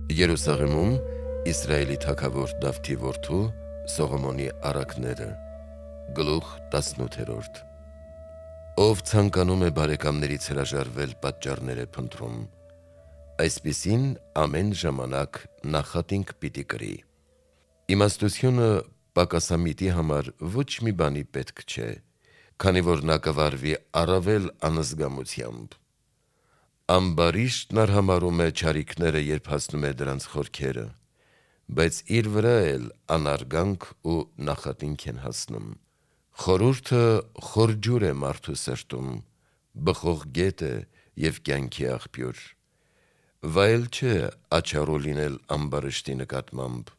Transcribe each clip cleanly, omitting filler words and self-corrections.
Երուսաղեմում Իսրայելի թագավոր Դավթի որդու Սողոմոնի առակները Գլուխ 18 Ով ցանկանում է բարեկամներից հրաժարվել պատճառներ է փնտրում, այսպիսին ամեն ժամանակ նախատինք պիտի կրի։ Իմաստությունը պակասամիտի համար ոչ մի բանի պետք չէ, քանի որ նա կվարվի առավել անզգամությամբ։ Ամբարիշտն արհամարում է չարիքները, երբ հասնում է դրանց խորքերը, բայց իր վրա էլ անարգանք ու նախատինք են հասնում։ Խորհուրդը խոր ջուր է մարդու սրտում, բխող գետ է և կյանքի աղբյուր։ Վայել չէ աչառու լինել ամբարիշտի նկատմամբ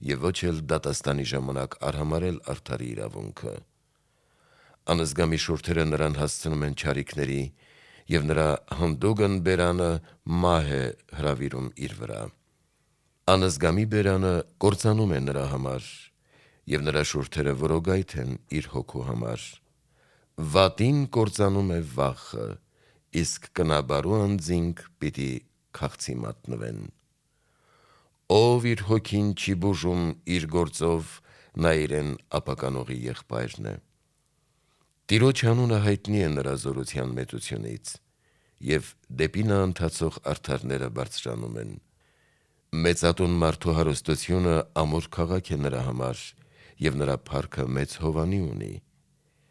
և ոչ էլ դատաստանի ժամանակ արհամարհել արդարի իրավունքը։ Անզգամի շուրթերը նրան հասցնում են չարիքների, և նրա հանդուգն բերանը մահ է հրավիրում իր վրա։ Անզգամի բերանը կործանում է նրա համար, և նրա շուրթերը որոգայթ են իր հոգու համար։ Վատին կործանում է վախը, իսկ կնաբարու անձինք պիտի քաղցի մատնվեն։ Ով իր հոգին չի բուժում իր գործով, նա իրեն ապականողի եղբայրն է։ Տիրոջ անունը հայտնի է նրա զորության մեծությունից, և դեպի նա ընթացող արդարները բարձրանում են։ Մեծատուն մարդու հարստությունը ամուր քաղաք է նրա համար, և նրա փառքը մեծ հովանի ունի։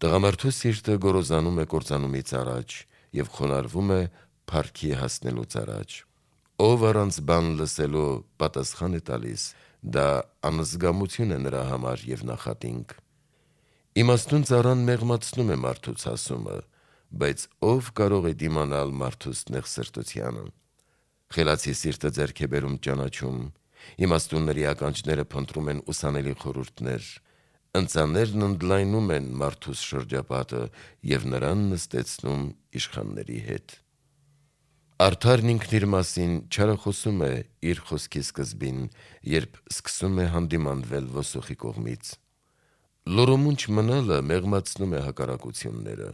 Տղամարդու սիրտը գոռոզանում է կործանումից առաջ և խոնարհվում է փառքի հասնելուց առաջ։ Ով առանց բան լսելու պատասխան է տալիս, դա անզգամություն է նրա համար և նախատինք։ Իմաստուն ծառան մեղմացնում է մարդու ցասումը, բայց ով կարող է դիմանալ մարդուս նեղսրտությանը։ Խելացի սիրտը ձեռք է բերում ճանաչում, իմաստունների ականջները փնտրում են ուսանելի խորհուրդներ, ընծաներն ընդլայնում են մարդուս շրջապատը և նրան նստեցնում իշխանների հետ։ Արդարն ինքն իր մասին չարախոսում է իր խոսքի սկզբին, երբ սկսում է հանդիմանվել ոսոխի կողմից։ Լուռու մունջ մնալը մեղմացնում է հակառակությունները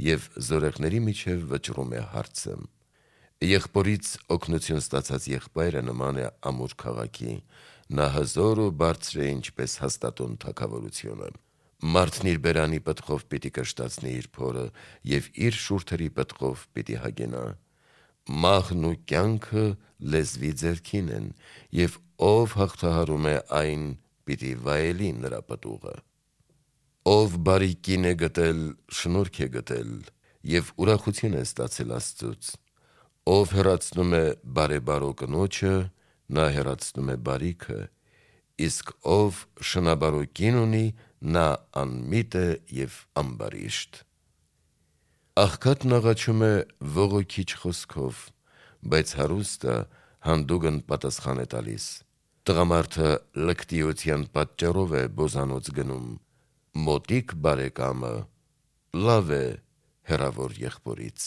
և զորեղների միջև վճռում է հարցը։ Եղբորից օգնություն ստացած եղբայրը նման է ամուր քաղաքի, նա հզոր ու բարձր է ինչպես հաստատուն թագավորությունը։ Մարդն իր բերանի պտղով պիտի կշտացնի իր փորը և իր շուրթերի պտղով պիտի հագենա։ Մահն ու կյանքը լեզվի ձեռքին են, և ով հաղթահարում է այն, պիտի վայելի նրա պտուղը։ Ով բարի կին է գտել, շնորհք է գտել, և ուրախություն է ստացել Աստծուց։ Ով հեռացնում է բարեբարո կնոջը, նա հեռացնում է բարիքը, իսկ ով շնաբարո կին ունի, նա անմիտ է և ամբարիշտ։ Աղքատն աղաչում է ողոքիչ խոսքով, բայց հարուստը հանդուգն պատասխան է տալիս։ Տղամարդը լկտիության պատճառով է բոզանոց գնում, մոտիկ բարեկամը լավ է հեռավոր եղբորից։